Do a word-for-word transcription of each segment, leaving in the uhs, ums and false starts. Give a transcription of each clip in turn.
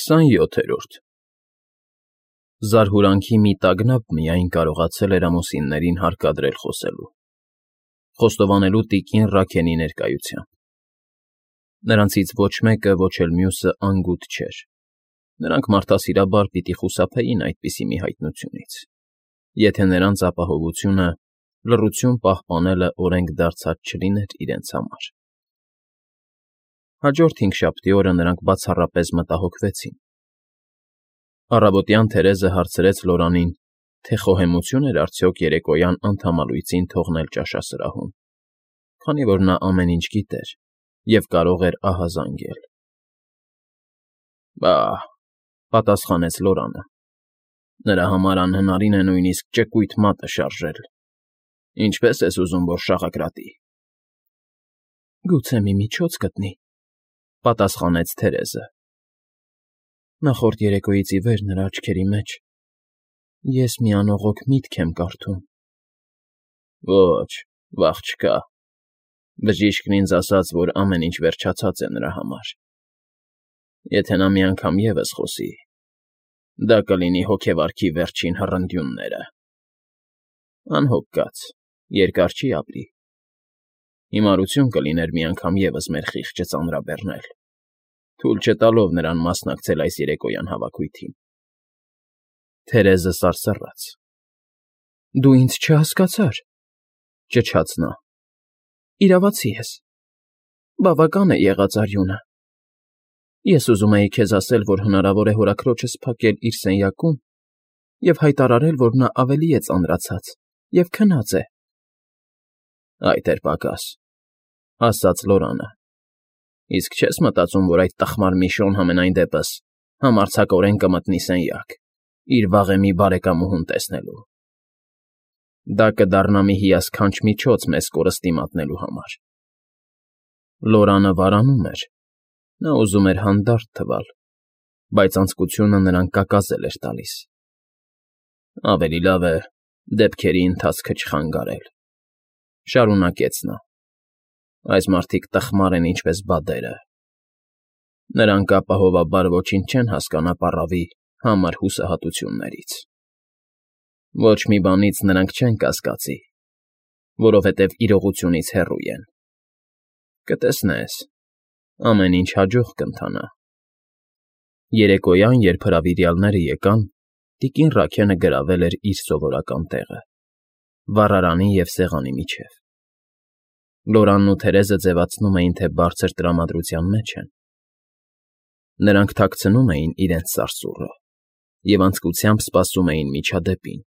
Քսանյոթերորդ Զարհուրանքի մի տագնապ միայն կարողացել էր ամուսիններին հարկադրել խոսելու, խոստովանելու տիկին Ռաքենի ներկայությամբ. նրանցից ոչ մեկը, ոչ էլ մյուսը անգութ չէր, նրանք մարդասիրաբար պիտի խուսափեին այդպիսի մի հայտնությունից, եթե նրանց ապահովությունը, լռություն պահպանելը օրենք դարձած չլիներ իրենց համար։ Հաջորդ հինգշաբթի օրը նրանք բացառապես մտահոգվեցին։ Առավոտյան Թերեզը հարցրեց Լորանին, թե խոհեմություն էր արդյոք երեկոյան անդամալույծին թողնել ճաշասրահում, քանի որ նա ամեն ինչ գիտեր և կարող էր ահազանգել։ Բա՜, պատասխանեց Լորանը, նրա համար անհնարին է նույնիսկ ճկույթ մատը շարժել, ինչպե՞ս ես ուզում, որ շաղակրատի։ Գուցե մի միջոց գտնի, պատասխանեց Թերեզը։ Նախորդ երեկոյից ի վեր նրա աչքերի մեջ ես մի անողոք միտք եմ կարդում։ Ոչ, վախ չկա, բժիշկն ինձ ասաց, որ ամեն ինչ վերջացած է նրա համար։ Եթե նա մի անգամ ևս խոսի, դա կլինի հոգեվարքի վերջին հռնդյունները։ Անհոգ կաց, երկար չի ապրի։ Հիմարություն կլիներ մի անգամ ևս մեր խիղճը ծանրաբեռնել, թույլ չտալով նրան մասնակցել այս երեկոյան հավաքույթին։ Թերեզը սարսռաց։ Դու ինձ չհասկացար, ճչաց նա։ Իրավացի ես։ Բավական է եղած արյունը։ Ես ուզում էի քեզ ասել, որ հնարավոր է հորաքրոջս փակել իր սենյակում և հայտարարել, որ նա ավելի է ծանրացած և քնած է։ Այդ էր պակաս, ասաց Լորանը։ Իսկ չես մտածում, որ այդ տխմար Միշոն համենայն դեպս համարձակորեն կմտնի սենյակ, իր վաղեմի բարեկամուհուն տեսնելու։ Դա կդառնա մի հիասքանչ միջոց մեզ կորստի մատնելու համար։ Լորանը վարանում էր, նա ուզում էր հանդարտ թվալ, բայց անձկությունը նրան կակազել էր տալիս։ Ավելի լավ է դեպքերի ընթացքը չխանգարել, շարունակեց նա։ Այս մարդիկ տխմար են ինչպես բադերը։ Նրանք ապահովաբար ոչինչ չեն հասկանա պառավի համր հուսահատություններից։ Ոչ մի բանից նրանք չեն կասկածի, որովհետև իրողությունից հեռու են։ Կտեսնես, ամեն ինչ հաջող կընթանա։ Երեկոյան, երբ հրավիրյալները եկան, տիկին Ռաքենը գրավել էր իր սովորական տեղը՝ վառարանի և սեղանի միջև։ Լորանն ու Թերեզը ձևացնում էին, թե բարձր տրամադրության մեջ են։ Նրանք թաքցնում էին իրենց սարսուռը և անձկությամբ սպասում էին միջադեպին,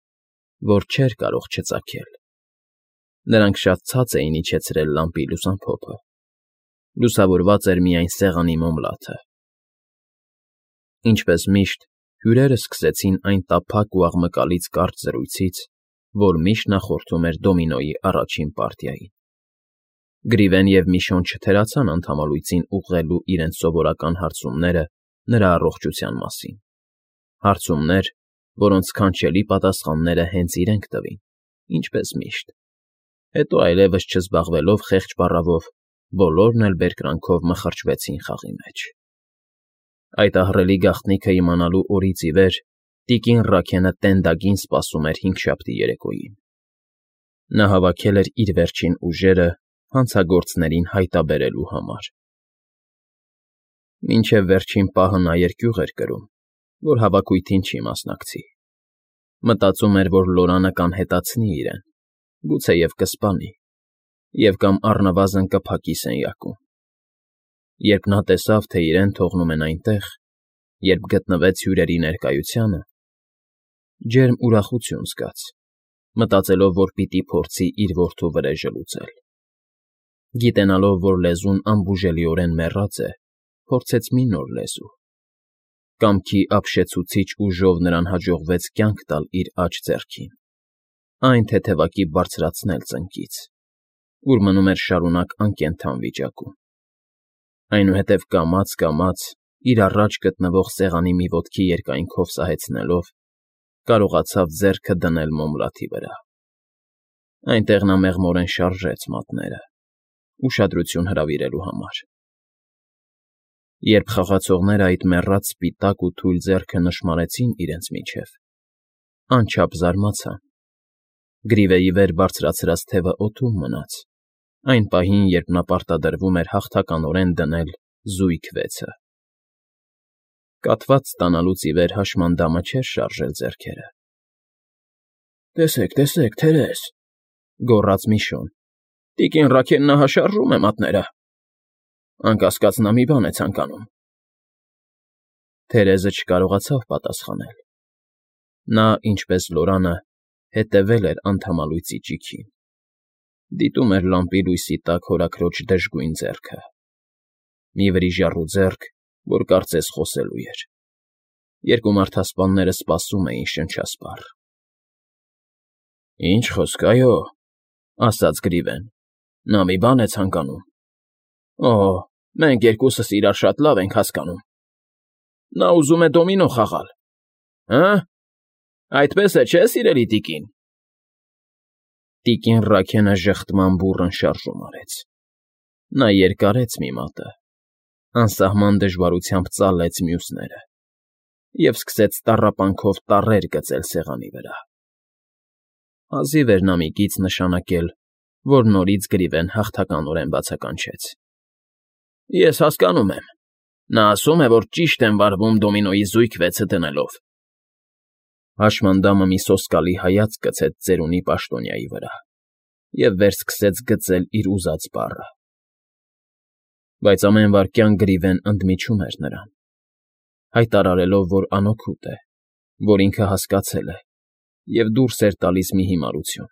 որ չէր կարող չծագել։ Նրանք շատ ցած էին իջեցրել լամպի լուսամփոփը։ Լուսավորված էր միայն սեղանի մոմլաթը։ Ինչպես միշտ, հյուրերն սկսեցին այն տափակ ու աղմկալից կարճ զրույցից, որ միշտ նախորդում էր դոմինոյի առաջին պարտիային։ Գրիվեն և Միշոն չթերացան անդամալույծին ուղղելու իրենց սովորական հարցումները նրա առողջության մասին, հարցումներ, որոնց սքանչելի պատասխանները հենց իրենք տվին, ինչպես միշտ։ Հետո այլևս չզբաղվելով խեղճ բառավով, բոլորն էլ բերկրանքով մխրճվեցին խաղի մեջ։ Այդ ահռելի գաղտնիքը իմանալու օրից ի վեր տիկին Ռաքենը տենդագին սպասում էր հինգշաբթի երեկոյին։ Նա հավաքել էր իր վերջին ուժերը հանցագործներին հայտաբերելու համար։ Մինչև վերջին պահը նա երկյուղ էր կրում, որ հավաքույթին չի մասնակցի։ Մտածում էր, որ Լորանը կանհետացնի իրեն, գուցեև կսպանի, և կամ առնվազն կփակի սենյակում։ Երբ նա տեսավ, թե իրեն թողնում են այնտեղ, երբ գտնվեց հյուրերի ներկայությանը, ջերմ ուրախություն զգաց, մտածելով, որ պիտի փորձի իր որդու վրեժը լուծել։ Գիտենալով, որ լեզուն անբուժելիորեն մեռած է, փորձեց մի նոր լեզու։ Կամքի ապշեցուցիչ ուժով նրան հաջողվեց կյանք տալ իր աջ ձեռքին, այն թեթևակի բարձրացնել ծնկից, ուր մնում էր շարունակ անկենդան վիճակում։ Այնուհետև կամաց֊կամաց, իր առաջ գտնվող սեղանի մի ոտքի երկայնքով սահեցնելով, կարողացավ ձեռքը դնել մոմլաթի վրա։ Այնտեղ նա մեղմորեն շարժեց մատները, ուշադրություն հրավիրելու համար։ Երբ խաղացողները այդ մեռած սպիտակ ու թույլ ձեռքը նշմարեցին իրենց միջև, անչափ զարմացան. Գրիվեի վեր բարձրացրած թևը օդում մնաց, այն պահին, երբ նա պարտադրվում էր հաղթականորեն դնել զույգ վեցը։ Կաթված ստանալուց ի վեր հաշմանդամը չէր շարժել ձեռքերը։ ֊ Տեսեք, տեսեք, թերես,֊ գոռաց Միշոն,֊ տիկին Ռաքեննահաշարժում է մատները… Անկասկած նա մի բան է ցանկանում… Թերեզը չկարողացավ պատասխանել։ Նա, ինչպես Լորանը, հետևել էր անդամալույծի ճիգին, դիտում էր լամպի լույսի տակ հորաքրոջ դժգույն ձեռքը, մի վրիժառու ձեռք, որ կարծես խոսելու էր։ Երկու մարդասպանները սպասում էին շնչասպառ։ ֊ Ինչ խոսք, այո,֊ ասաց Գրիվեն,֊ նա մի բան է ցանկանում… Օհ, մենք երկուսս իրար շատ լավ ենք հասկանում… Նա ուզում է դոմինո խաղալ… Հը՞, այդպես է, չէ՞, սիրելի տիկին… Տիկին Ռաքենը ժխտման բուռն շարժում արեց։ Նա երկարեց մի մատը, անսահման դժվարությամբ ծալեց մյուսները և սկսեց տառապանքով տառեր գծել սեղանի վրա։ Հազիվ էր նա մի կից նշանակել, որ նորից Գրիվեն հաղթականորեն բացականչեց. ֊ Ես հասկանում եմ… Նա ասում է, որ ճիշտ եմ վարվում դոմինոյի զույգ վեցը դնելով… Հաշմանդամը մի սոսկալի հայացք գցեց ծերունի պաշտոնյայի վրա և վեր սկսեց գծել իր ուզած բառը։ Բայց ամեն վայրկյան Գրիվեն ընդմիջում էր նրան, հայտարարելով, որ անօգուտ է, որ ինքը հասկացել է, և դուրս էր տալիս մի հիմարություն։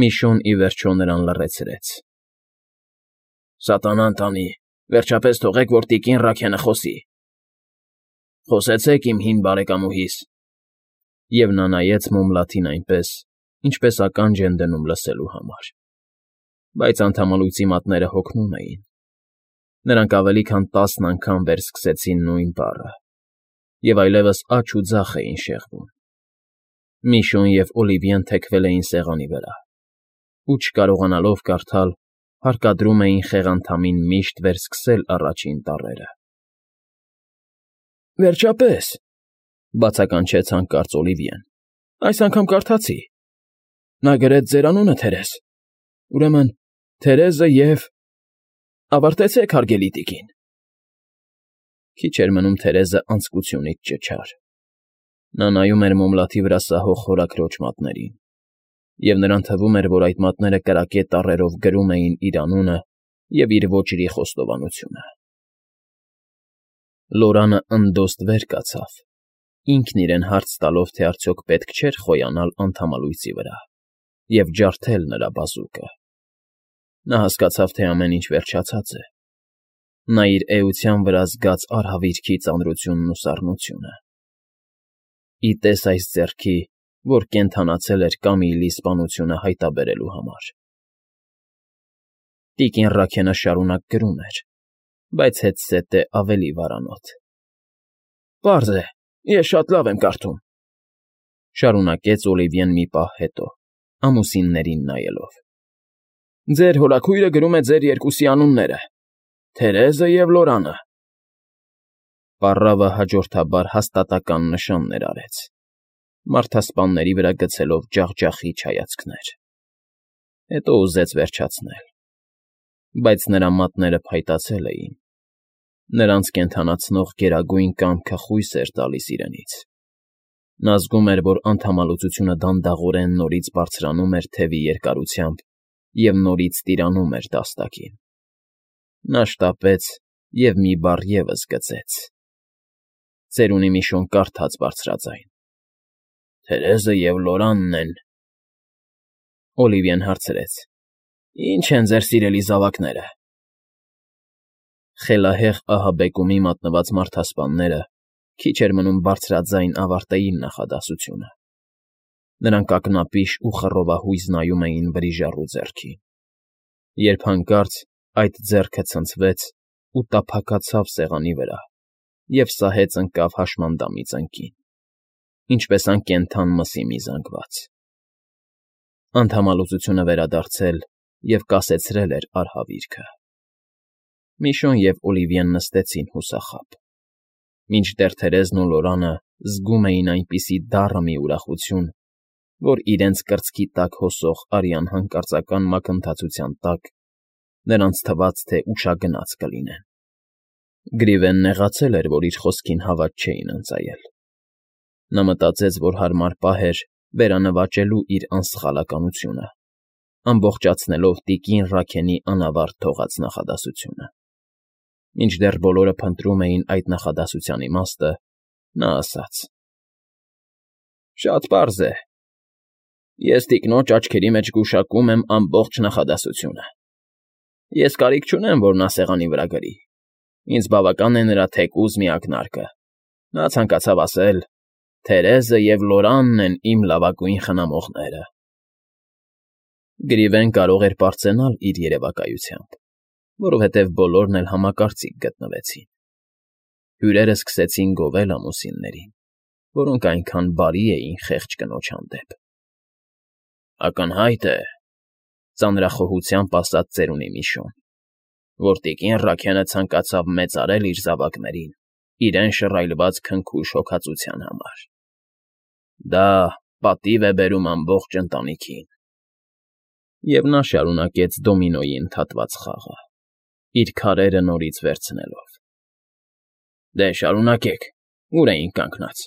Միշոն, ի վերջո, նրան լռեցրեց. ֊ Սատանան տանի, վերջապես թողեք, որ տիկին Ռաքենը խոսի… ֊ Խոսեցեք, իմ հին բարեկամուհիս… Եվ նա նայեց մոմլաթին այնպես, ինչպես ականջ են դնում լսելու համար։ Բայց անդամալույծի մատները հոգնում էին։ Նրանք ավելի քան տասն անգամ վերսկսեցին նույն բառը և այլևս աջ ու ձախ էին շեղվում։ Միշոն և Օլիվիեն թեքվել էին սեղանի վրա ու, չկարողանալով կարդալ, հարկադրում էին խեղանդամին միշտ վերսկսել առաջին տառերը։ ֊ Վերջապես,֊ բացականչեց հանկարծ Օլիվիեն,֊ այս անգամ կարդացի… Նա գրեց ձեր անունը, Թերես… Ուրեմն Թերեզը և… Ավարտեցեք, հարգելի տիկին… Քիչ էր մնում Թերեզը անձկությունից ճչար։ Նա նայում էր մոմլաթի վրա սահող հորաքրոջ մատներին, և նրան թվում էր, որ այդ մատները կրակե տառերով գրում էին իր անունը և իր ոճրի խոստովանությունը։ Լորանը ընդոստ վեր կացավ, ինքն իրեն հարց տալով, թե արդյոք պետք չէր խոյանալ անդամալույծի վրա և ջարդել նրա բազուկը։ Նա հասկացավ, թե ամեն ինչ վերջացած է։ Նա իր էության վրա զգաց արհավիրքի ծանրությունն ու սառնությունը։ Ի տես այս ձեռքի, որ կենդանացել էր Կամիլի սպանությունը հայտաբերելու համար։ Տիկին Ռաքենը շարունակ գրում էր, բայց հետզհետե ավելի վարանոտ։ ֊ Պարզ է, ես շատ լավ եմ կարդում,֊ շարունակեց Օլիվիեն մի պահ հետո, ամուսիններին նայելով,֊ Ձեր հորաքույրը գրում է ձեր երկուսի անունները՝ Թերեզը և Լորանը… Պառավը հաջորդաբար հաստատակամ նշաններ արեց, մարդասպանների վրա գցելով ջախջախիչ հայացքներ։ Հետո ուզեց վերջացնել։ Բայց նրա մատները փայտացել էին, նրանց կենդանացնող գերագույն կամքը խույս էր տալիս իրենից։ Նա զգում էր, որ անդամալուծությունը դանդաղորեն նորից բարձրանում էր թևի երկարությամբ և նորից տիրանում էր դաստակին։ Նա շտապեց և մի բառ ևս գծեց. ծերունի Միշոն կարդաց բարձրաձայն. ֊ Թերեզը և Լորանն են… Օլիվիեն հարցրեց. ֊ Ի՞նչ են ձեր սիրելի զավակները… Խելահեղ ահաբեկումի մատնված մարդասպանները քիչ էր մնում բարձրաձայն ավարտեին նախադասությունը։ Նրանք ակնապիշ ու խռովահույզ նայում էին վրիժառու ձեռքին, երբ հանկարծ այդ ձեռքը ցնցվեց ու տափակացավ սեղանի վրա և սահեց ընկավ հաշմանդամի ծնկին, ինչպես անկենդան մսի մի զանգված։ Անդամալուծությունը վերադարձել և կասեցրել էր արհավիրքը։ Միշոն և Օլիվիեն նստեցին հուսախաբ, մինչդեռ Թերեզն ու Լորանը զգում էին այնպիսի դառը մի ուրախություն, որ իրենց կրծքի տակ հոսող արյան հանկարծական մակընթացության տակ նրանց թվաց, թե ուշագնաց կլինեն։ Գրիվեն նեղացել էր, որ իր խոսքին հավատ չէին ընծայել։ Նա մտածեց, որ հարմար պահ էր վերանվաճելու իր անսխալականությունը, ամբողջացնելով տիկին Ռաքենի անավարտ թողած նախադասությունը։ Մինչդեռ բոլորը փնտրում էին այդ նախադասության իմաստը, նա ասաց. «Շատ պարզ է. ես տիկնոջ աչքերի մեջ գուշակում եմ ամբողջ նախադասությունը։ Ես կարիք չունեմ, որ նա սեղանի վրա գրի, ինձ բավական է նրա թեկուզ մի ակնարկը. նա ցանկացավ ասել. «Թերեզը և Լորանն են իմ լավագույն խնամողները»։ Գրիվեն կարող էր պարծենալ իր երևակայությամբ, որովհետև բոլորն էլ համակարծիք գտնվեցին։ Հյուրերն սկսեցին գովել ամուսիններին, որոնք այնքան բարի էին խեղճ կնոջ հանդեպ։ «Ակնհայտ է,֊ ծանրախոհությամբ ասաց ծերունի Միշոն,֊ որ տիկին Ռաքենը ցանկացավ մեծարել իր զավակներին իրեն շռայլված քնքուշ հոգածության համար։ Դա պատիվ է բերում ամբողջ ընտանիքին»։ Եվ նա շարունակեց դոմինոյի ընդհատված խաղը, իր քարերը նորից վերցնելով։ «Դե, շարունակեք, ուր էինք կանգնած։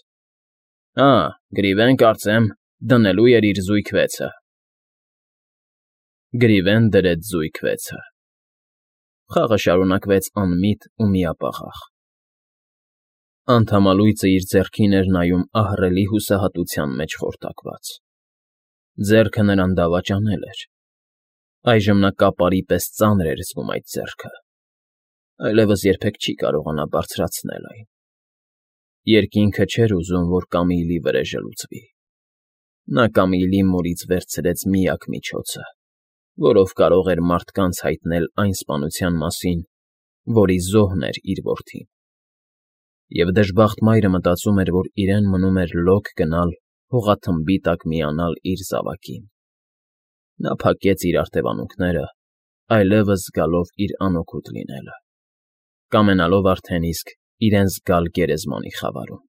Հա, Գրիվեն, կարծեմ, դնելու էր իր զույգ վեցը»։ Գրիվեն դրեց զույգ վեցը։ Խաղը շարունակվեց անմիտ ու միապաղաղ։ Անդամալույծը իր ձեռքին էր նայում ահռելի հուսահատության մեջ խորտակված։ Ձեռքը նրան դավաճանել էր։ Այժմ նա կապարի պես ծանր էր զգում այդ ձեռքը, այլևս երբեք չի կարողանա բարձրացնել այն։ Երկինքը չէր ուզում, որ Կամիլի վրեժը լուծվի։ Նա Կամիլի մորից վերցրեց միակ միջոցը, որով կարող էր մարդկանց հայտնել այն սպանության մասին, որի զոհն էր իր որդին։ Եվ դժբախտ մայրը մտածում էր, որ իրեն մնում էր լոկ գնալ հողաթմբի տակ միանալ իր զավակին։ Նա փակեց իր արտևանունքները, այլևս զգալով իր անօգուտ լինելը, կամենալով արդեն իսկ իրեն զգալ գերեզմանի խավարում։